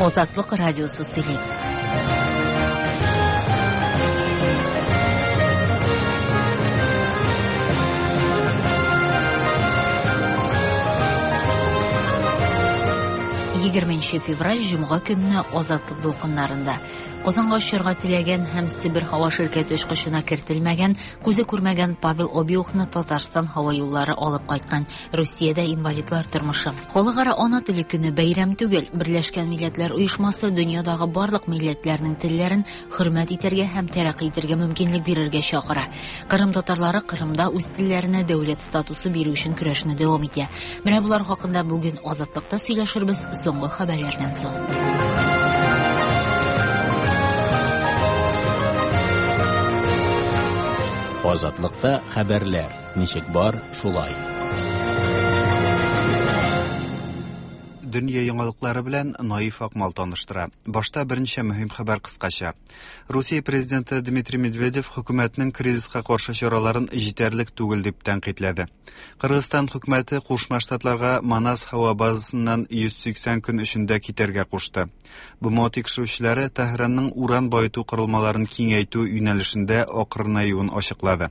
Азатлык радиосы сөйли. Егерменче февраль җомга көнне Азатлык дулкыннарында Казанга очарга теләгән һәм Себер һава ширкәте очкычына кертелмәгән, күзе күрмәгән Павел Обиухны Татарстан һава юллары алып кайткан. Русиядә инвалидлар тормышы. Халыкара ана теле көне бәйрәм түгел. Берләшкән Милләтләр Оешмасы дөньядагы барлык милләтләрнең телләрен хөрмәт итәргә һәм тәрәкъи итәргә мөмкинлек бирергә чакыра. Кырым татарлары Кырымда үз телләренә дәүләт статусы бирү өчен көрәшне дәвам итә. Менә болар хакында бүген Азатлыкта сөйләшербез соңгы хәбәрләрдән соң. Азатлыкта хәбәрләр ничек бар, шулай. Дөнья яңалыклары белән Наиф Акмал таныштыра. Башта берничә мөһим хәбәр кыскача. Русия президенты Дмитрий Медведев хөкүмәтнең кризиска каршы чараларын җитәрлек түгел дип тәнкыйтьләде. Кыргызстан хөкүмәте Кушма Штатларга Манас һава базасыннан 180 көн эчендә китәргә кушты. БМО тикшерүчеләре Тәһранның уран баету корылмаларын киңәйтү юнәлешендә акрынаюын ачыклады.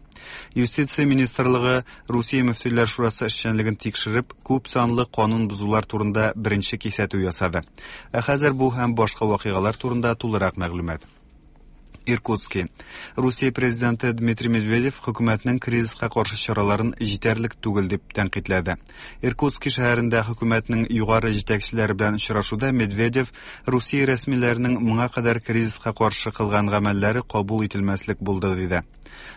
Юстиция министрлыгы Русия мөфтиләр шурасы эшчәнлеген тикшереп, күп санлы канун бозулар турында беренче кисәтү ясады. Ә хәзер бу һәм башка вакыйгалар турында тулырак мәгълүмат. Иркутски. Русия президенты Дмитрий Медведев хөкүмәтнең кризиска каршы чараларын җитәрлек түгел дип тәнкыйтьләде. Иркутски шәһәрендә хөкүмәтнең югары җитәкчеләре белән очрашуда Медведев Русия рәсмиләренең моңа кадәр кризиска каршы кылган гамәлләре кабул ителмәслек булды диде.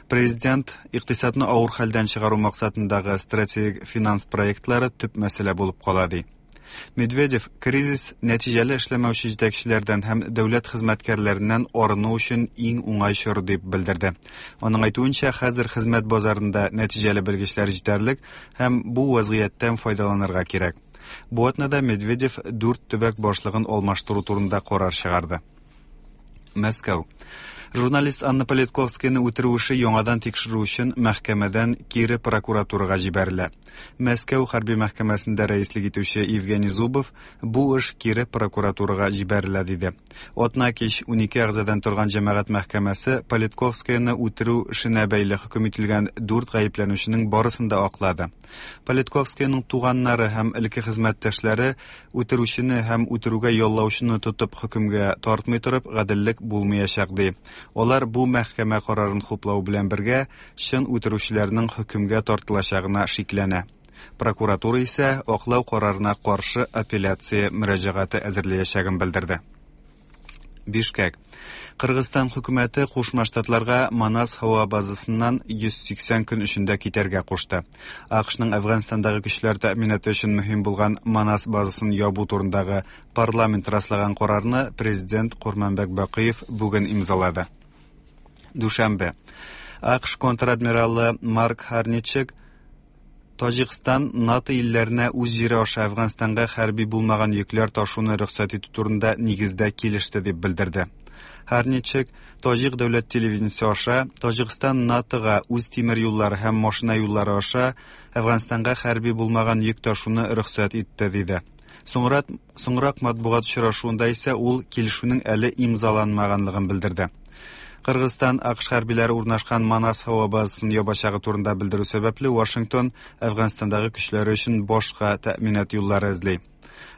Президент икътисадны авыр хәлдән чыгару максатындагы стратегик финанс проектлары төп мәсьәлә булып кала ди. Медведев кризис нәтиҗәле эшләмәүче җитәкчеләрдән һәм дәүләт хезмәткәрләреннән арыну өчен иң уңай чор дип белдерде. Аның әйтүенчә, хәзер хезмәт базарында нәтиҗәле белгечләр җитәрлек һәм бу вазгыятьтән файдаланырга кирәк. Бу атнада Медведев дүрт төбәк башлыгын алмаштыру турында карар чыгарды. Мәскәү. Журналист Анна Политковскаяны үтерү эше яңадан тикшерү өчен мәхкәмәдән кире прокуратурага җибәрелә. Мәскәү хәрби мәхкәмәсендә рәислек итүче Евгений Зубов бу эш кире прокуратурага җибәрелә диде. Атна кич 12 әгъзадан торган җәмәгать мәхкәмәсе Политковскаяны үтерү эшенә бәйле хөкем ителгән дүрт гаепләнүченең барысын да аклады. Политковскаяның туганнары һәм элекке хезмәттәшләре Үтерүчене һәм үтерүгә яллаучыны тотып хөкемгә тартмый торып, гаделлек булмыячак, ди. Алар бу мәхкәмә карарын хуплау белән бергә, чын үтерүчеләрнең хөкемгә тартылачагына шикләнә. Прокуратура исә аклау карарына каршы апелляция мөрәҗәгате әзерләячәген белдерде. Бишкәк. Кыргызстан хөкүмәте Кушма Штатларга Манас һава базасыннан 180 көн эчендә китәргә кушты. АКШның Әфганстандагы көчләр тәэминаты өчен мөһим булган Манас базасын ябу турындагы парламент раслаган карарны президент Курманбәк Бакыев бүген имзалады. Дүшәмбе. АКШ контр-адмиралы Марк Харничек Таҗикстан НАТО илләренә үз җире аша Әфганстанга хәрби булмаган йөкләр ташуны рөхсәт итү турында нигездә килеште дип белдерде. Һәрничек, Таҗик дәүләт телевидениесе аша Таҗикстан НАТОга үз тимер юллары һәм машина юллары аша Әфганстанга хәрби булмаган йөк ташуны рөхсәт итте, диде. Соңрак, соңрак матбугат очрашуында исә ул килешүнең әле имзаланмаганлыгын белдерде. Кыргызстан АКШ хәрбиләре урнашкан Манас һава базасын ябачагы турында белдерү сәбәпле Вашингтон Әфганстандагы көчләре өчен башка тәэминат юллары эзли.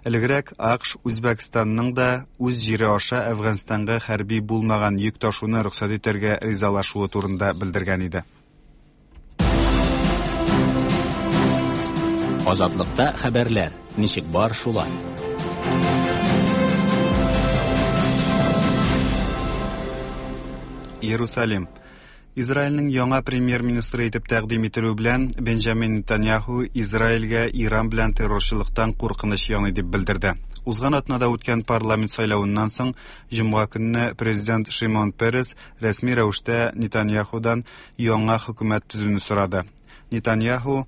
Элегрәк АКШ Үзбәкстанның да үз җире аша Әфганстанга хәрби булмаган йөк ташуны рөхсәт итәргә ризалашуы турында белдергән иде. Азатлыкта хәбәрләр ничек бар шулай. Иерусалим. Израильнең яңа премьер-министры итеп тәкъдим ителү белән Бенджамин Нетаньяху Израильгә Иран белән террорчылыктан куркыныч яный дип белдерде. Узган атнада үткән парламент сайлавыннан соң җомга көнне президент Шимон Перес рәсми рәвештә Нетаньяхудан яңа хөкүмәт төзүне сорады. Нетаньяху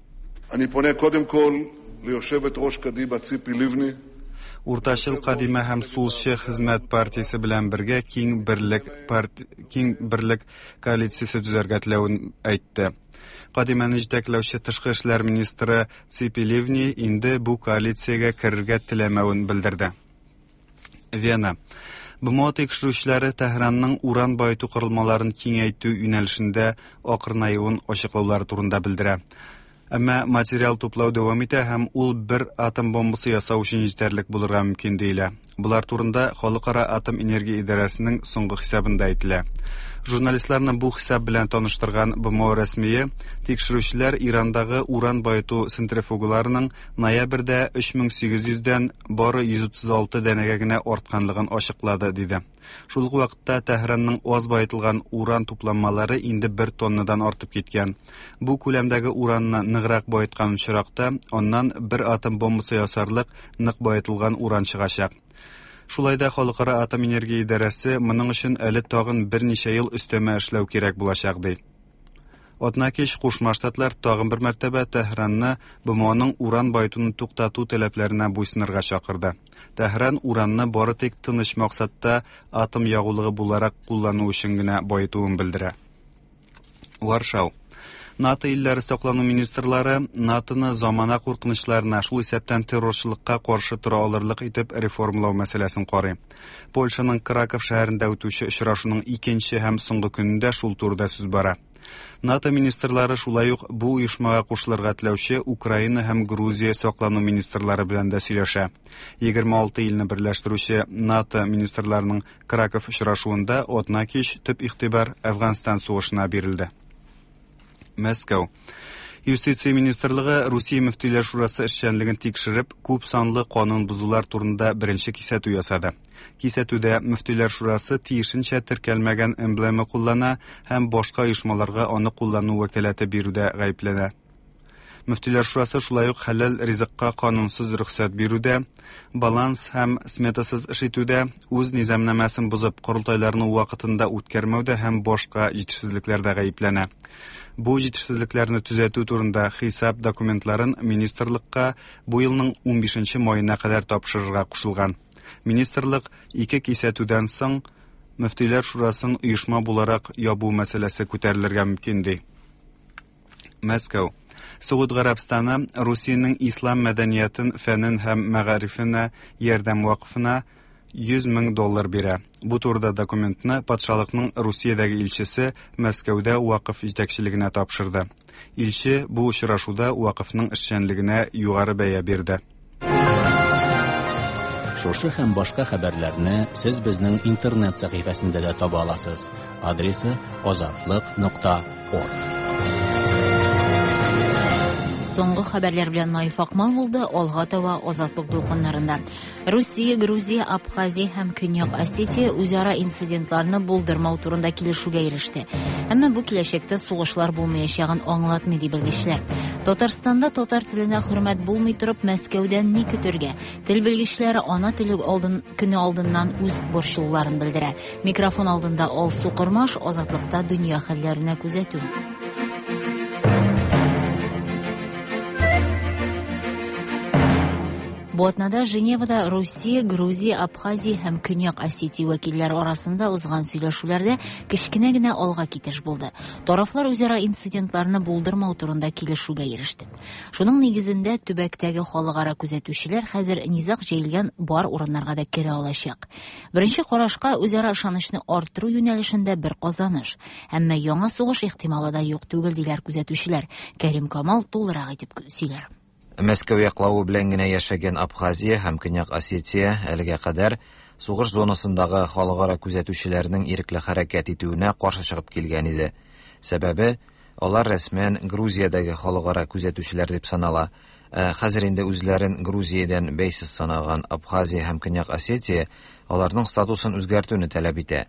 Уртачыл Кадимә һәм Сулчы хезмәт партиясе белән бергә киң берлек парт... киң берлек коалициясе төзәргә теләвен әйтте. Кадимәне җитәкләүче тышкы эшләр министры Ципи Ливни инде бу коалициягә керергә теләмәвен белдерде. Вена. БМО тикшерүчеләре Тәһранның уран баету корылмаларын киңәйтү юнәлешендә акрынаюын ачыклаулары турында белдерә. Әмма материал туплау дәвам итә һәм ул бер атом бомбасы ясау өчен җитәрлек булырга мөмкин диелә. Болар турында Халыкара атом энергия идарәсенең соңгы хисабында әйтелә. Журналистларны бу хисап белән таныштырган БМО рәсмие тикшерүчеләр Ирандагы уран баету центрифугаларының ноябрьдә 3800 дән бары 136 данәгә генә артканлыгын ачыклады, диде. Шул ук вакытта Тәһранның аз баетылган уран тупланмалары инде бер тоннадан артып киткән. Бу күләмдәге уранны ныграк баеткан очракта, аннан бер атом бомбасы ясарлык нык баетылган уран чыгачак. Шулай да Халыкара атом энергия идарәсе моның өчен әле тагын берничә ел өстәмә эшләү кирәк булачак, ди. Атнакич Кушма Штатлар тагын бер мәртәбә Тәһранны БМОның уран баетуны туктату таләпләренә буйсынырга чакырды. Тәһран уранны бары тик тыныч максатта атом ягулыгы буларак куллану өчен генә баетуын белдерә. Варшау. НАТО илләре саклану министрлары НАТОны замана куркынычларына, шул исәптән террорчылыкка каршы тора алырлык итеп реформалау мәсьәләсен карый. Польшаның Краков шәһәрендә үтүче очрашуның икенче һәм соңгы көнендә шул турыда сүз бара. НАТО министрлары шулай ук бу оешмага кушылырга теләүче Украина һәм Грузия саклану министрлары белән дә сөйләшә. 26 илне берләштерүче НАТО министрларының Краков очрашуында атнакич төп игътибар Әфганстан сугышына бирелде. Мәскәү. Юстиция министрлыгы Русия мөфтиләр шурасы эшчәнлеген тикшереп, күп санлы канун бозулар турында беренче кисәтү ясады. Кисәтүдә мөфтиләр шурасы тиешенчә теркәлмәгән эмблема куллана һәм башка оешмаларга аны куллану вәкаләте бирүдә гаепләнә. Мөфтиләр шурасы шулай ук хәләл ризыкка канунсыз рөхсәт бирүдә, баланс һәм сметасыз эш итүдә, үз низамнамәсен бозып, корылтайларны вакытында үткәрмәүдә һәм башка җитешсезлекләрдә гаепләнә. Бу җитешсезлекләрне төзәтү турында хисап документларын министрлыкка бу елның 15 маена кадәр тапшырырга кушылган. Министрлык ике кисәтүдән соң Мөфтиләр шурасын оешма буларак ябу мәсьәләсе күтәрелергә мөмкин ди. Мәскәү. Согуд Гарәбстаны Русиянең ислам мәдәниятен, фәнен һәм мәгарифенә ярдәм вакыфына 100 мең доллар бирә. Бу турыда документны патшалыкның Русиядәге илчесе Мәскәүдә вакыф җитәкчелегенә тапшырды. Илче бу очрашуда вакыфның эшчәнлегенә югары бәя бирде. Шушы һәм башка хәбәрләрне сез безнең интернет сәхифәсендә дә таба аласыз. Адресы azatliq.org. Соңгы хәбәрләр белән Наиф Акмал булды. Алга таба Азатлык дулкыннарында. Русия, Грузия, Абхазия һәм Көньяк Осетия үзара инцидентларны булдырмау турында килешүгә иреште. Әмма бу киләчәктә сугышлар булмаячагын аңлатмый ди белгечләр. Татарстанда татар теленә хөрмәт булмый торып, Мәскәүдән ни көтергә? Тел белгечләре ана теле көне алдыннан үз борчылуларын белдерә. Микрофон алдында Алсу Кормаш, Азатлыкта дөнья хәлләренә күзәтү. Бу атнада Женевада Русия, Грузия, Абхазия һәм Көньяк Осетия вәкилләре арасында узган сөйләшүләрдә кечкенә генә алга китеш булды. Тарафлар үзара инцидентларны булдырмау турында килешүгә иреште. Шуның нигезендә төбәктәге халыкара күзәтүчеләр хәзер низаг җәелгән бар урыннарга да керә алачак. Беренче карашка үзара ышанычны арттыру юнәлешендә бер казаныш. Әмма яңа сугыш ихтималы да юк түгел диләр күзәтүчеләр. Кәрим Камал тулырак итеп сөйләр. Мәскәү яклавы белән генә яшәгән Абхазия һәм Көньяк Осетия әлегә кадәр сугыш зонасындагы халыкара күзәтүчеләрнең ирекле хәрәкәт итүенә каршы чыгып килгән иде. Сәбәбе, алар рәсмән Грузиядәге халыкара күзәтүчеләр дип санала. Хәзер инде үзләрен Грузиядән бәйсез санаган Абхазия һәм Көньяк Осетия аларның статусын үзгәртүне таләп итә.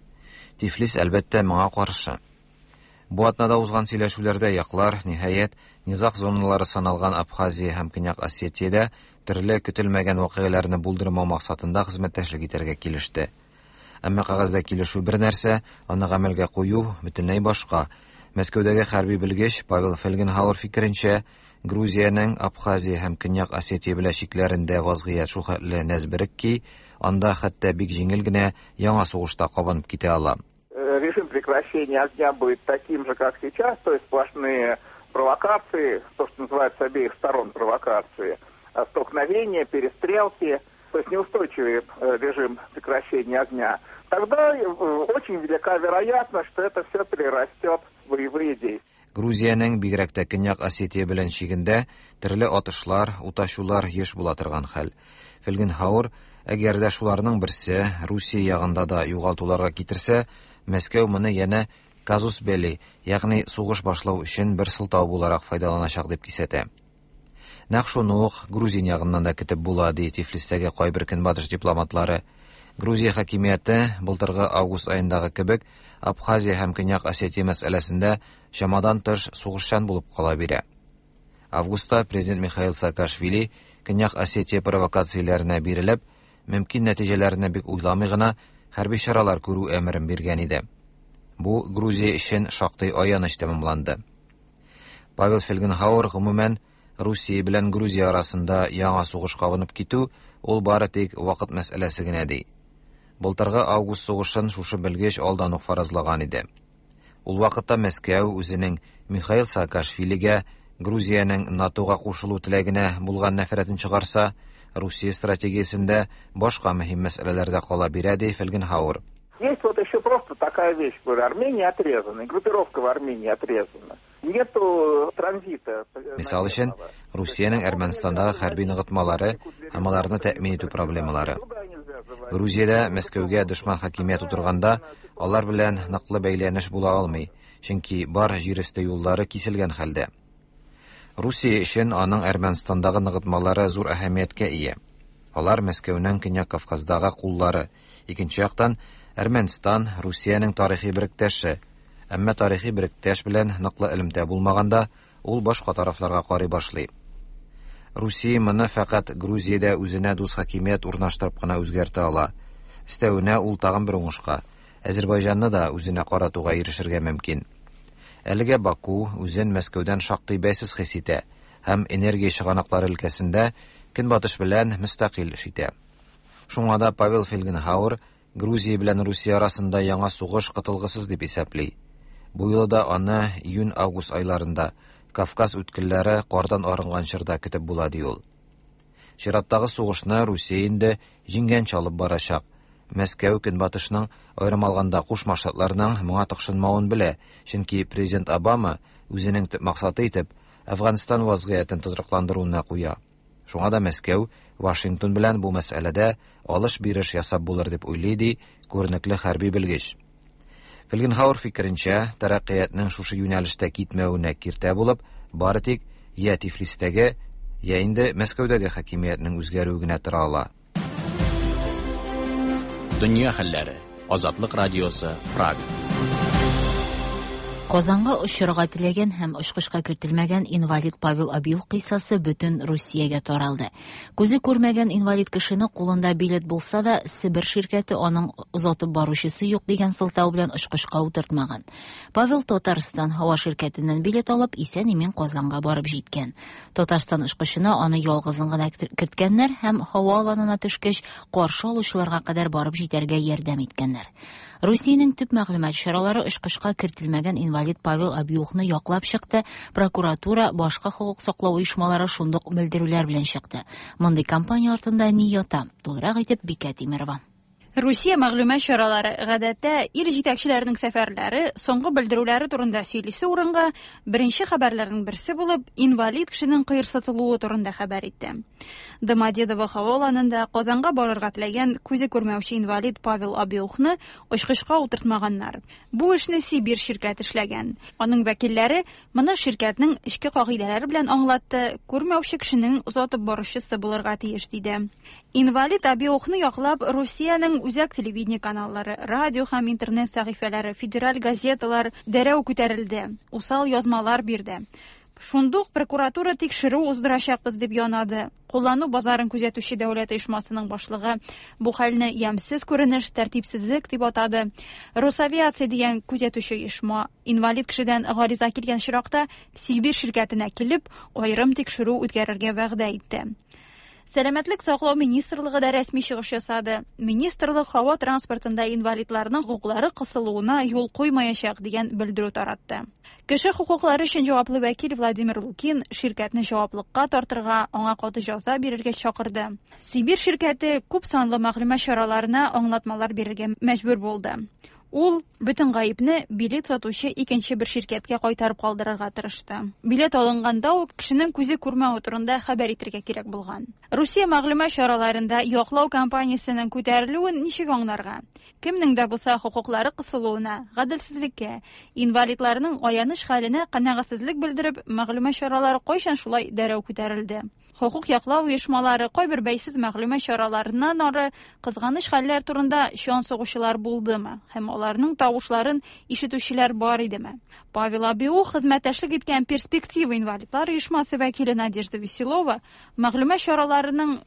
Тифлис әлбәттә моңа каршы. Бу атнада узган сөйләшүләрдә яклар, ниһаять, низаг зоналары саналган Абхазия һәм Көньяк Осетиядә төрле көтелмәгән вакыйгаларны булдырмау максатында хезмәттәшлек итәргә килеште. Әмма кәгазьдә килешү бер нәрсә, аны гамәлгә кую бөтенләй башка. Мәскәүдәге хәрби белгеч Павел Фельгенхауэр фикеренчә, Грузиянең Абхазия һәм Көньяк Осетия белән чикләрендә вазгыять шулхәтле нәзберек ки, анда хәтта бик җиңел генә яңа сугышта кабынып китә ала. Режим прекращения огня будет таким же, как сейчас, то есть сплошные провокации, то, что называется с обеих сторон провокации, столкновения, перестрелки, то есть неустойчивый режим прекращения прекращения огня, тогда очень велика вероятность, что это все перерастет в боевые действия. Грузиянең бигрәк тә Көньяк Осетия белән чигендә төрле атышлар, уташулар еш була торган хәл. Фельгенхауэр, әгәр дә шуларның берсе Русия ягында да югалтуларга китерсә, Мәскәү моны янә казус белли, ягъни сугыш башлау өчен бер сылтау буларак файдаланачак дип кисәтә. Нәкъ шуны ук грузин ягыннан да көтеп була, ди Тифлистәге кайбер көнбатыш дипломатлары. Грузия хакимияте былтыргы август аендагы кебек Абхазия һәм Көньяк Осетия мәсьәләсендә чамадан тыш сугышчан булып кала бирә. Августта президент Михаил Саакашвили Көньяк Осетия провокацияләренә бирелеп, мөмкин нәтиҗәләрне бик уйламый гына хәрби чаралар күрү әмерен биргән иде. Бу Грузия өчен шактый аяныч тәмамланды. Павел Фельгенхауэр гомумән Русия белән Грузия арасында яңа сугыш кабынып китү ул бары тик вакыт мәсьәләсе генә ди. Былтыргы август сугышын шушы белгеч алдан ук фаразлаган иде. Ул вакытта Мәскәү үзенең Михаил Саакашвилигә Грузиянең НАТОга кушылу теләгенә булган нәфрәтен чыгарса, Русия стратегиясендә башка мөһим мәсьәләләр дә кала бирә, ди Фельгенхауэр. Есть вот еще просто такая вещь, говорю, Армения отрезана, и группировка в Армении отрезана. Нету транзита. Мисал өчен, Русиянең Әрмәнстандагы хәрби ныгытмалары һәм аларны тәэмин итү проблемалары. Грузиядә Мәскәүгә дошман хакимият утырганда, алар белән ныклы бәйләнеш була алмый, чөнки бар җир өсте юллары киселгән хәлдә. Русия өчен аның Әрмәнстандагы ныгытмалары зур әһәмияткә ия. Алар Мәскәүнең Көньяк Кавказдагы куллары, икенче яктан Әрмәнстан Русиянең тарихи беректәше. Әмма тарихи беректәш белән ныклы элемтә булмаганда, ул башка тарафларга карый башлый. Русия моны фәкать Грузиядә үзенә дус хакимият урнаштырып кына үзгәртә ала. Өстәвенә ул тагын бер уңышка Азербайҗанны да үзенә каратуга ирешергә мөмкин. Әлегә Баку үзен Мәскәүдән шактый бәйсез хис итә һәм энергия чыганаклары өлкәсендә Көнбатыш белән мөстәкыйль эш итә. Шуңа да Павел Фельгенхауэр Грузия белән Русия арасында яңа сугыш котылгысыз дип исәпли. Бу юлы да аны июнь-август айларында Кавказ үткелләре кардан арынган чорда көтеп була ди ул. Чираттагы сугышны Русия инде җиңгәнче алып барачак. Мәскәү Көнбатышның, аерым алганда Кушма Штатларның моңа тыкшынмавын белә, чөнки президент Обама үзенең төп максаты итеп Әфганстан вазгыятен тотрыкландыруны куя. Шуңа да Мәскәү Вашингтон белән бу мәсьәләдә алыш-биреш ясап булыр дип уйлый, ди күренекле хәрби белгеч. Фельгенхауэр фикеренчә, тәрәккыятның шушы юнәлештә китмәвенә киртә булып, бары тик я Тифлистәге, я инде Мәскәүдәге хакимиятнең үзгәрүе генә тора ала. Дөнья хәлләре. Азатлык радиосы, Прага. Казанга очырга теләгән һәм очкычка кертелмәгән инвалид Павел Абиев кыйссасы бөтен Русиягә таралды. Күзе күрмәгән инвалид кешене кулында билет булса да, Себер ширкәте аның озатып баручысы юк дигән сылтау белән очкычка утыртмаган. Павел Татарстан һава ширкәтеннән билет алып, исән-имин Казанга барып җиткән. Татарстан очкычына аны ялгызын гына керткәннәр һәм һава аланына төшкәч, каршы алучыларга кадәр барып җитәргә ярдәм иткәннәр. Русиянең төп мәгълүмат чаралары очкычка кертелмәгән инвалид Павел Абиухны яклап чыкты. Прокуратура, башка хокук саклау оешмалары шундук белдерүләр белән чыкты. Мондый кампания артында ни ята? Тулырак итеп Бикә Тимирова. Русия мәгълүмат чаралары гадәттә ил җитәкчеләренең сәфәрләре, соңгы белдерүләре турында сөйлисе урынга беренче хәбәрләрнең берсе булып инвалид кешенең кыерсытылуы турында хәбәр итте. Домодедово һава аланында Казанга барырга теләгән күзе күрмәүче инвалид Павел Абиухны очкычка утыртмаганнар. Бу эшне Сибир ширкәте эшләгән. Аның вәкилләре моны ширкәтнең эчке кагыйдәләре белән аңлатты, күрмәүче кешенең озатып баручысы булырга тиеш диде. Инвалид Абиухны яклап Русиянең үзәк телевидение каналлары, радио һәм интернет сәхифәләре, федераль газеталар дәрәү күтәрелде, усал язмалар бирде. Шундук прокуратура тикшерү уздырачакбыз дип янады. Куллану базарын күзәтүче дәүләт оешмасының башлыгы бу хәлне ямьсез күренеш, тәртипсезлек дип атады. Росавиация дигән күзәтүче оешма инвалид кешедән гариза килгән очракта Сибир ширкәтенә килеп, аерым тикшерү үткәрергә вәгъдә итте. Сәламәтлек саклау министрлыгы да рәсми чыгыш ясады. Министрлык һава транспортында инвалидларның хокуклары кысылуына юл куймаячак дигән белдерү таратты. Кеше хокуклары өчен җаваплы вәкил Владимир Лукин ширкәтне җаваплыкка тартырга, аңа каты җәза бирергә чакырды. Сибирь ширкәте күп санлы мәгълүмат чараларына аңлатмалар бирергә мәҗбүр булды. Ул бөтен гаепне билет сатучы икенче бер ширкәткә кайтарып калдырырга тырышты. Билет алынганда ук кешенең күзе күрмәве турында хәбәр итергә кирәк булган. Русия мәгълүмат чараларында яклау кампаниясенең күтәрелүен ничек аңларга? Кемнең дә булса хокуклары кысылуына, гаделсезлеккә, инвалидларның аяныч хәленә канәгатьсезлек белдереп, мәгълүмат чаралары кайчан шулай дәррәү күтәрелде? Хокук яклау оешмалары, кайбер бәйсез мәгълүмат чараларыннан ары кызганыч хәлләр турында чан сугучылар булдымы һәм аларның тавышларын ишетүчеләр бар идеме? Павел Абиух хезмәттәшлек иткән Перспектива инвалидлар оешмасы вәкиле Надежда Веселова мәгълүмат чараларының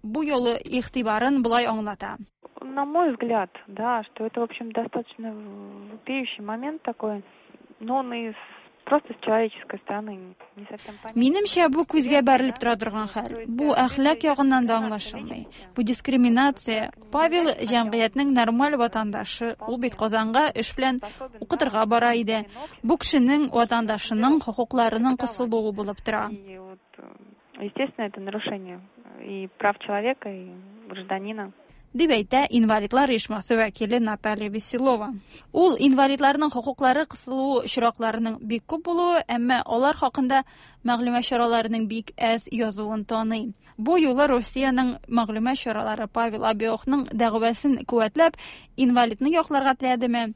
бу юлы игътибарын болай аңлата. На мой взгляд, да, что это, в общем, достаточно вопиющий момент такой, но он и просто с человеческой стороны не совсем понятно. Минемчә, бу күзгә бәрелеп тора торган хәл. Бу әхлак ягыннан да аңлашылмый. Бу дискриминация. Павел җәмгыятьнең нормаль ватандашы. Ул бит Казанга эш белән укытырга бара иде. Бу кешенең ватандашының хокукларының кысылуы булып тора. И вот, естественно, это нарушение и прав человека, и гражданина. Дип әйтә инвалидлар оешмасы вәкиле Наталья Веселова. Ул инвалидларның хокуклары кысылу очракларының бик күп булуы, әмма алар хакында мәгълүмат чараларының бик әз язуын таный. Бу юлы Русиянең мәгълүмат чаралары Павел Абиохның дәгъвасын куәтләп, инвалидны якларга теләдеме?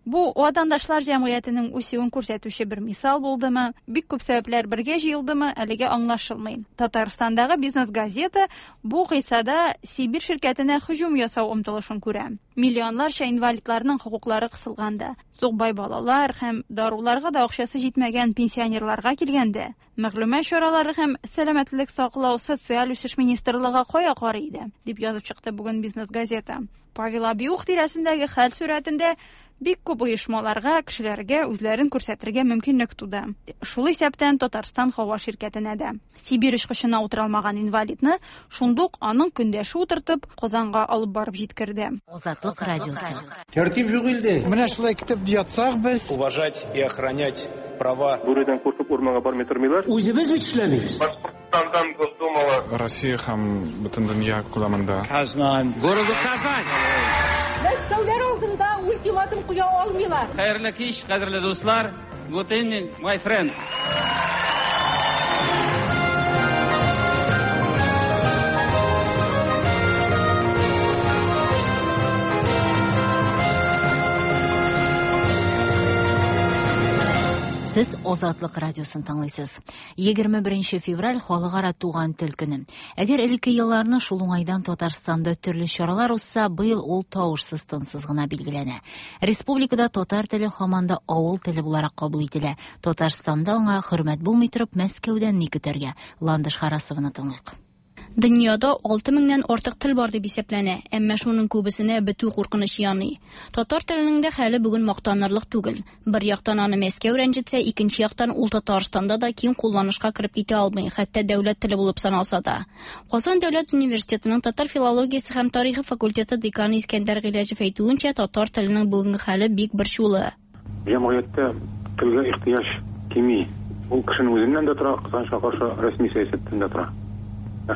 Бу ватандашлар җәмгыятенең үсүен күрсәтүче бер мисал булдымы? Бик күп сәбәпләр бергә җыелдымы? Әлегә аңлашылмый. Татарстандагы бизнес газета бу кыйссада Сибирь ширкәтенә һөҗүм ясау омтылышын күрә. Миллионларча инвалидларның хокуклары кысылганда, сукбай балалар һәм даруларга да акчасы җитмәгән пенсионерларга килгәндә, мәгълүмат чаралары һәм сәламәтлек саклау социаль үсеш министрлыгы кая карый иде, дип язып чыкты бүген бизнес газета. Павел Абиух тирәсендәге хәл сурәтендә бик күп оешмаларга, кешеләргә үзләрен күрсәтергә мөмкинлек туды. Шул исәптән Татарстан һава ширкәтенә дә. Сибирь очкычына утыра алмаган инвалидны шундук аның көндәше утыртып, Казанга алып барып җиткерде. Азатлык радиосы. Тәртип юк илдә. Менә шулай көтеп ятсак без. Уважать и охранять права. Бүредән куркып урманга бармый тормыйлар. Үзебез бит эшләмибез. Башкортстандан Госдумага. Россия һәм бөтен дөнья күләмендә. Казан. Города Казань. Мәскәүләр алдында ультиматум куя алмыйлар. Хәерле кич, кадерле дуслар. Good evening, my friends. Сез Азатлык радиосын тыңлыйсыз. 21 февраль халыкара туган тел көне. Әгәр элекке елларны шул уңайдан Татарстанда төрле чаралар узса, быел ул тавышсыз тынсыз гына билгеләнә. Республикада татар теле һаман да авыл теле буларак кабул ителә. Татарстанда аңа хөрмәт булмый торып, Мәскәүдән ни көтәргә? Ландыш Харасованы тыңлыйк. Дөньяда 6000-нән артык тел бар дип исәпләнә, әмма шуның күбесенә бетү куркынычы яный. Татар теленең дә хәле бүген мактанырлык түгел. Бер яктан аны Мәскәү рәнҗетсә, икенче яктан ул Татарстанда да киң кулланышка кереп китә алмый, хәтта дәүләт теле булып саналса да. Казан дәүләт университетының татар филологиясе һәм тарихы факультеты деканы Искәндәр Гыйләҗев әйтүенчә, татар теленең бүгенге хәле бик борчулы. Җәмгыятьтә телгә ихтыяҗ кими. Ул кешенең үзеннән дә тора, кызганычка каршы рәсми сәясәттән дә тора.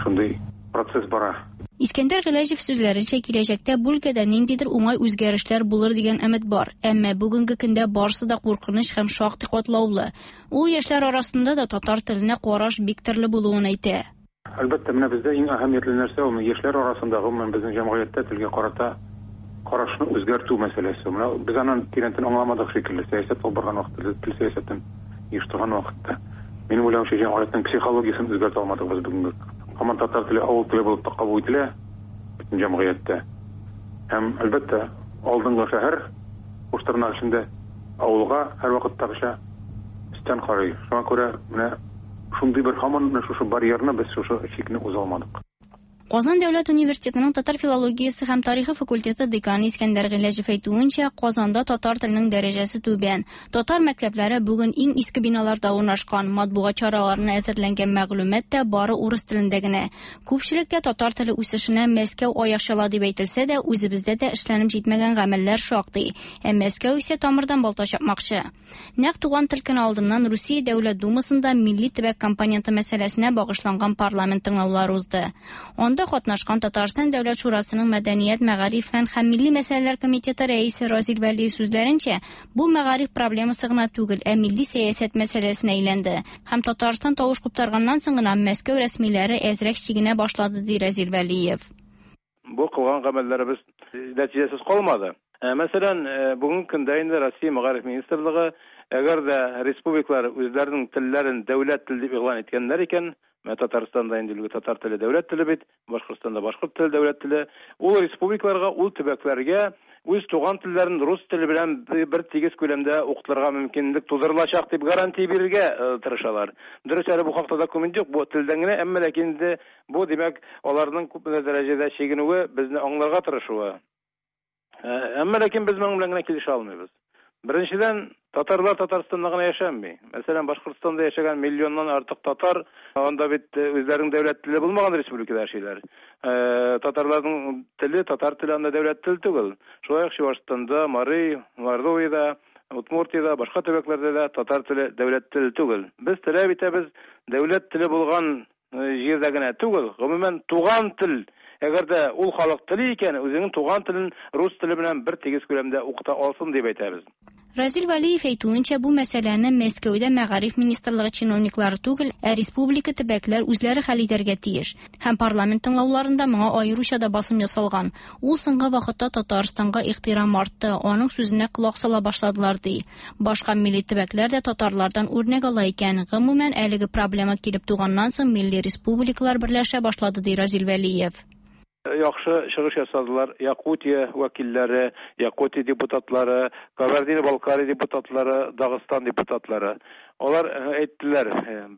Шундый процесс бара. Искәндәр Гыйләҗев сүзләренчә, киләчәктә бу өлкәдә ниндидер уңай үзгәрешләр булыр дигән өмет бар. Әмма бүгенге көндә барысы да куркыныч һәм шактый катлаулы. Ул яшьләр арасында да татар теленә караш бик төрле булуын әйтә. Әлбәттә, менә бездә иң әһәмиятле нәрсә ул яшьләр арасында, гомумән безнең җәмгыятьтә телгә карата карашны үзгәртү мәсьәләсе. Менә без аны тирәнтен аңламадык шикелле. Сәясәт алып барган вакытта, тел сәясәтен оештырган вакытта. Минем уйлавымча, җәмгыятьнең психологиясен үзгәртә алмадык без бүгенге. Һаман татар теле авыл теле булып та кабул ителә бөтен җәмгыятьтә. Һәм әлбәттә, алдынгы шәһәр куштырнак эчендә авылга һәрвакыттагыча өстән карый. Шуңа күрә менә шундый бер һаман менә шушы барьерны без шушы чикне уза алмадык. Казан дәүләт университетының татар филологиясе һәм тарихы факультеты деканы Искәндәр Гыйләҗев әйтүенчә, Казанда татар теленең дәрәҗәсе түбән. Татар мәктәпләре бүген иң иске биналарда урнашкан, матбугат чараларына әзерләнгән мәгълүмат та бары урыс телендә генә. Күпчелектә татар теле үсешенә Мәскәү аяк чала дип әйтелсә дә, үзебездә дә эшләнеп җитмәгән гамәлләр шактый. Ә Мәскәү исә тамырдан балта чапмакчы. Нәкъ туган тел көне алдыннан Русия Дәүләт Думасында милли төбәк компоненты мәсьәләсенә багышланган парламент тыңлаулары узды. Анда катнашкан Татарстан Дәүләт Шурасының Мәдәният, мәгариф, фән һәм милли мәсьәләләр комитеты рәисе Разил Вәлиев сүзләренчә, бу мәгариф проблемасы гына түгел, ә милли сәясәт мәсьәләсенә әйләнде. Һәм Татарстан тавыш куптарганнан соң гына Мәскәү рәсмиләре әзрәк чигенә башлады, ди Разил Вәлиев. Бу кылган гамәлләребез нәтиҗәсез калмады. Мәсәлән, бүгенге көндә инде Россия Мәгариф министрлыгы, әгәр дә республикалар үзләренең телләрен дәүләт теле дип игълан иткәннәр икән, менә Татарстанда инде билгеле татар теле дәүләт теле бит, Башкортстанда башкорт теле дәүләт теле, ул республикаларга, ул төбәкләргә үз туган телләрен рус теле белән бер тигез күләмдә укытылырга мөмкинлек тудырылачак дип гарантия бирергә тырышалар. Дөрес, әле бу хакта документ юк, бу телдән генә, әмма ләкин инде Бу, димәк, аларның күпмедер дәрәҗәдә чигенүе, безне аңларга тырышуы. Әмма ләкин без моның белән генә килешә алмыйбыз. Беренчедән, татарлар Татарстанда гына яшәми. Мәсәлән, Башкортстанда яшәгән миллионнан артык татар, анда бит үзләренең дәүләт теле булмаган республикада яшиләр. Татарларның теле, татар теле анда дәүләт теле түгел. Шулай ук Чувашстанда, Мари, Мордовиядә, Удмуртиядә, башка төбәкләрдә дә татар теле дәүләт теле түгел. Без таләп итәбез, дәүләт теле булган җирдә генә түгел, гомумән, туган тел, әгәр дә ул халык тели икән, үзенең туган телен рус теле белән бер тигез күләмдә укыта алсын дип әйтәбез. Разил Вәлиев әйтүенчә, бу мәсьәләне Мәскәүдә мәгариф министрлыгы чиновниклары түгел, ә республика төбәкләр үзләре хәл итәргә тиеш. Һәм парламент тыңлауларында моңа аеруча да басым ясалган. Ул соңгы вакытта Татарстанга ихтирам артты, аның сүзенә колак сала башладылар, ди. Башка милли төбәкләр дә татарлардан үрнәк ала икән. Гомумән, әлеге проблема килеп туганнан соң милли республикалар берләшә башлады, ди Разил Вәлиев. Яхшы чыгыш ясадылар Якутия вәкилләре, Якутия депутатлары, Кабардино-Балкария депутатлары, Дагыстан депутатлары. Алар әйттеләр,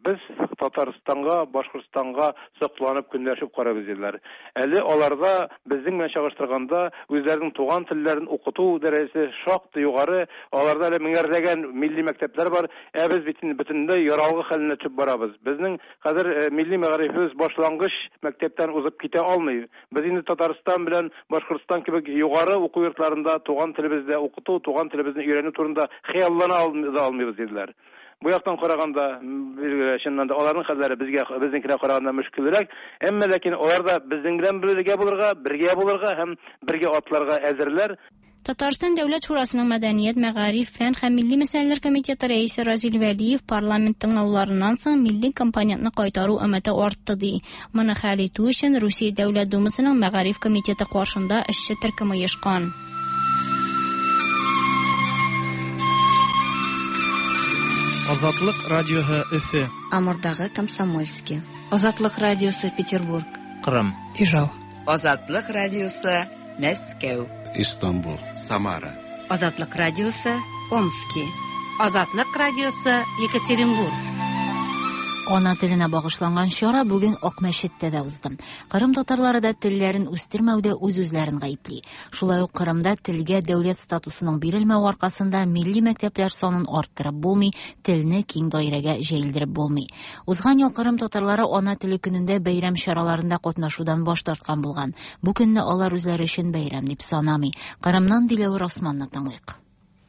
без Татарстанга, Башкортстанга сокланып, көнләшеп карыйбыз, диделәр. Әле аларда безнең белән чагыштырганда үзләренең туган телләрен укыту дәрәҗәсе шактый югары, аларда әле меңәрләгән милли мәктәпләр бар, ә без бит инде бөтенләй яралгы хәленә төшеп барабыз. Безнең хәзер милли мәгарифебез башлангыч мәктәптән узып китә алмый. Без инде Татарстан белән Башкортстан кебек югары уку йортларында туган телебездә укыту, туган телебезне өйрәнү турында хыяллана да алмыйбыз, диделәр. Бу яктан караганда, билгеле, чыннан да аларның хәлләре безгә безнеңкенә караганда мөшкелрәк. Әмма ләкин алар да безнең белән бергә булырга, бергә булырга һәм бергә атларга әзерләр. Татарстан Дәүләт Шурасының Мәдәният, мәгариф, фән һәм милли мәсьәләләр комитеты рәисе Разил Вәлиев парламент тыңлауларыннан соң милли компонентны кайтару өмете артты, ди. Моны хәл итү өчен Русия Дәүләт Думасының Мәгариф комитеты каршында эшче төркем оешкан. Азатлык радиоһы Өфе. Амурдагы Комсомольский. Азатлык радиосы Петербург. Кырым. Ижау. Азатлык радиосы Мәскәү. Истанбул. Самара. Азатлык радиосы Омски. Азатлык радиосы Екатеринбург. Ана теленә багышланган чара бүген Акмәчеттә дә узды. Кырым татарлары да телләрен үстермәүдә үз-үзләрен гаепли. Шулай ук Кырымда телгә дәүләт статусының бирелмәве аркасында милли мәктәпләр санын арттырып булмый, телне киң даирәгә җәелдереп булмый. Узган ел Кырым татарлары Ана теле көнендә бәйрәм чараларында катнашудан баш тарткан булган. Бу көнне алар үзләре өчен бәйрәм дип санамый. Кырымнан Диләвер Османны тыңлыйк.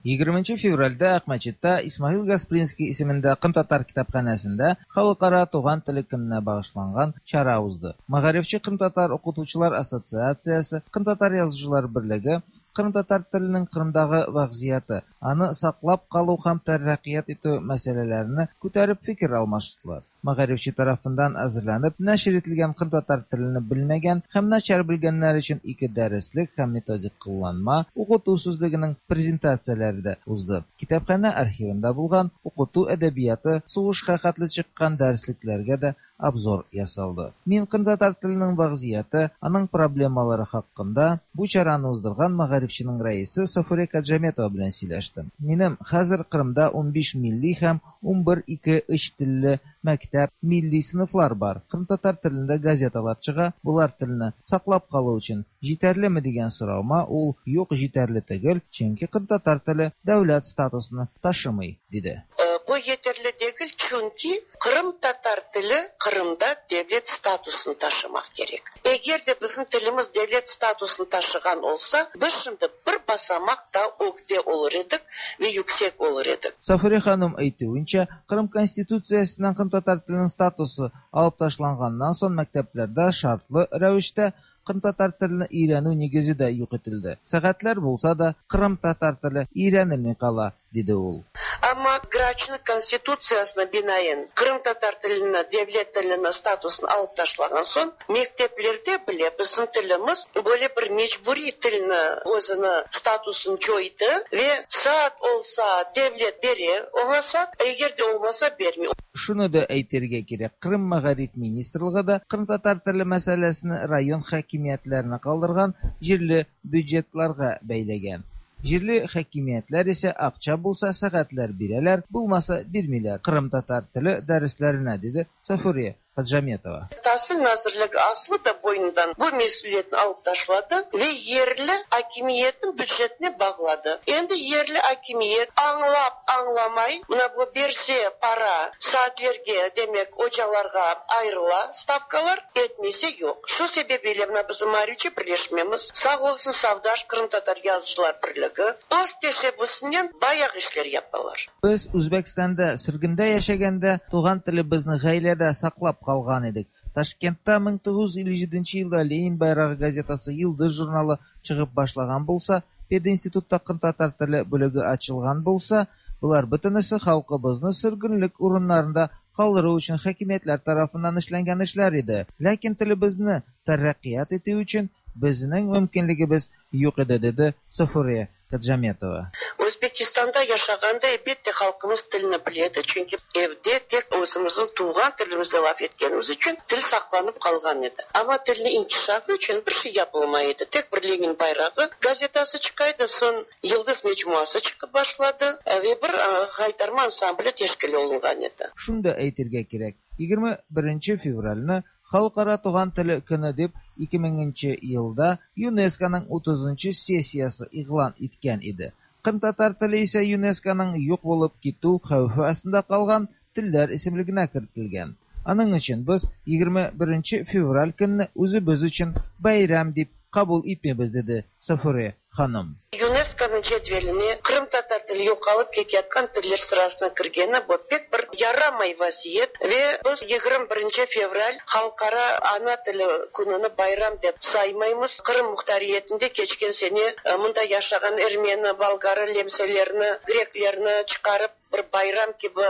20 февральдә Акмәчеттә Исмаил Гаспринский исемендә кырымтатар китапханәсендә Халыкара туган теле көненә багышланган чара узды. Мәгарифче кырымтатар укытучылар ассоциациясе, Кырымтатар язучылар берлеге кырымтатар теленең Кырымдагы вәгъзияте, аны саклап калу һәм тәррәкыять итү мәсьәләләрне күтәреп фикер алмаштылар. Мәгарифче тарафыннан әзерләнеп нәшер ителгән кырымтатар телене белмәгән һәм начар белгәннәр өчен ике дәреслек һәм методик кулланма, укыту сүзлегенең презентацияләре дә узды. Китапханә архивында булган укыту әдәбияты, сугышка хәтле чыккан дәреслекләргә дә обзор ясалды. Мин кырымтатар теленең вәгъзияте, аның проблемалары хакында бу чараны уздырган Мәгарифченең рәисе Сафуре Каджаметова белән сөйләштем. Минем хәзер Кырымда 15 милли һәм 11 ике, өч телле мәктәп, милли сыйныфлар бар. Кырымтатар телендә газеталар чыга. Болар телне саклап калу өчен җитәрлеме дигән соравыма ул юк, җитәрле түгел, чөнки кырымтатар теле дәүләт статусын ташымый, диде. Бу yeterli degil, çünki qırımtatar tili Qırımda devlet statusını taşımaq kerek. Eger de bizim tilimiz devlet statusını taşığan olsa, biz şimdi bir basamaq daa ögde olur edik ve yüksek olur edik. Сафуре ханым әйтүенчә, Кырым Конституциясеннән кырымтатар теленең статусы алып ташланганнан соң мәктәпләрдә шартлы рәвештә кырымтатар телен өйрәнү нигезе дә юк ителде. Сәгатьләр булса да, кырымтатар теле өйрәнелми кала, диде ул. Amma Graçnıñ Konstitutsiyasına binaen qırımtatar tilini devlet tilini statusını alıp taşlağan soñ, mekteplerde bile bizim tilimiz böyle bir mecburiy tilni özüni statusını coydı ve saat olsa devlet bere oña saat, eger de olmasa bermey. Шуны да әйтергә кирәк, Кырым мәгариф министрлыгы да кырымтатар теле мәсьәләсен район хакимиятләренә калдырган, җирле бюджетларга бәйләгән. Җирле хакимиятләр исә акча булса сәгатьләр бирәләр, булмаса бирмиләр кырымтатар теле дәресләренә, диде Сафурия Хаджаметова. Tasil nazirligi aslı da boynundan bu mesüliyetni alıp taşladı ve yerli akimiyetniñ bücetine bağladı. Endi yerli akimiyet añlap añlamay, mına bu berse para saatlerge, demek, ocalarğa ayırıla stavkalar, etmese yoq. Şu sebebiyle mına bizim Maarifçi birleşmemiz, sağ olsun Safdaş qırımtatar yazıcılar birligi, öz teşebbüsinen bayağı işler yapalar. Без Үзбәкстанда сөргендә яшәгәндә туган телебезне гаиләдә саклап калган идек. Ташкентта 1957 елда Ленин байрагы газетасы, Йолдыз журналы чыгып башлаган булса, пединститутта кырымтатар теле бүлеге ачылган булса, болар бөтенесе халкыбызны сөргенлек урыннарында калдыру өчен хакимиятләр тарафыннан эшләнгән эшләр иде. Ләкин телебезне тәрәккыят итү өчен безнең мөмкинлегебез юк иде, диде Сафурия Хаджаметова. Özbekistanda yaşağanda, elbette, halqımız tilni bile edi, çünki evde tek özümizniñ tuvğan tilimizde laf etkenimiz içün til saqlanıp qalğan edi. Amma tilniñ inkişafı içün bir şey yapılmay edi. Tek bir Lenin bayrağı gazetası çıqa edi, soñ Yıldız mecmuası çıqıp başladı ve bir Haytarma ansambli teşkil olunğan edi. Шуны да әйтергә кирәк, 21 февральне Халыкара туган тел көне дип 2000 нче елда ЮНЕСКОның 30 нчы сессиясе игълан иткән иде. Кырымтатар теле исә ЮНЕСКОның юк булып китү хәвефе астында калган телләр исемлегенә кертелгән. Аның өчен без 21 нче февраль көнне үзебез өчен бәйрәм дип кабул итмибез, диде Сафуре ханым. ЮНЕСКОнıñ cedveline qırımtatar tili yoqalıp keteyatqan tiller sırasına kirgeni bu pek bir yaramay vaziyet ve biz 21 fevral Halqara ana tili kününi bayram dep saymaymız. Qırım muhtariyetinde keçken sene mında yaşağan ermeni, bolgarı, lemselerni, greklerni çıqarıp bir bayram kibi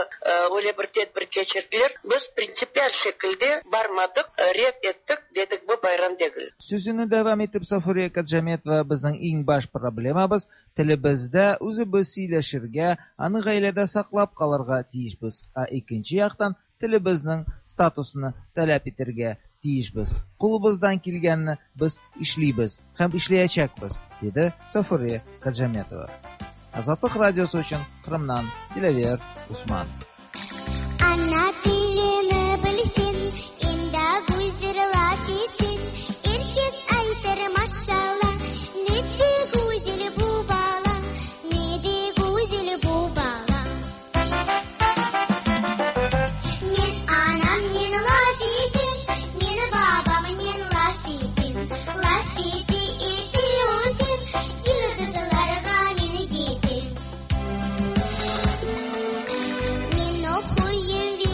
öyle bir tedbir keçirdiler. Biz printsipial şekilde barmadıq, red ettik, dedik bu bayram degil. Сүзен дәвам итеп Сафурия Каджаметова безнең иң баш проблемабыз телебездә үзебез сөйләшергә, аны гаиләдә саклап калырга тиешбез, ә икенче яктан телебезнең статусын таләп итәргә тиешбез. Кулыбыздан килгәнне без эшлибез һәм эшләячәкбез, диде Сафурия Каджаметова. Азатлык радиосы өчен Кырымнан Диләвер Усман. Ana tilini bilsen, endi güzel laf etsen, er kes aytır maşallah, ne de güzel bu bala, ne de güzel bu bala. Men anamnen laf etem, men babamnen laf etem, laf ete ete ösem, yıldızlarğa men yetem. Men oquyım ve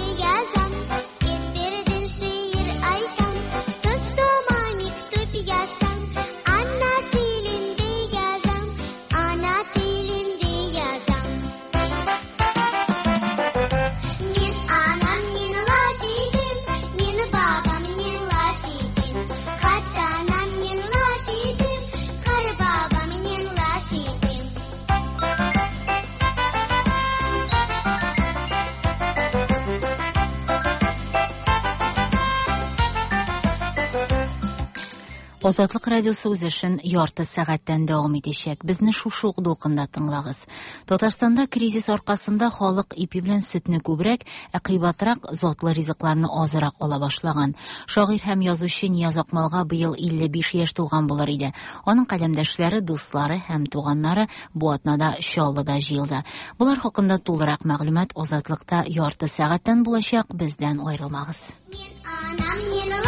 Азатлык радиосы үз эшен ярты сәгатьтән дәвам итәчәк. Безне шушы ук дулкында тыңлагыз. Татарстанда кризис аркасында халык ипи белән сөтне күбрәк, ә кыйбатрак затлы ризыкларны азрак ала башлаган. Шагыйрь һәм язучы Нияз Акмалга быел 55 яшь тулган булыр иде. Аның каләмдәшләре, дуслары һәм туганнары бу атнада Чаллыда җыелды. Болар хакында тулырак мәгълүмат Азатлыкта ярты сәгатьтән булачак. Бездән аерылмагыз. Анам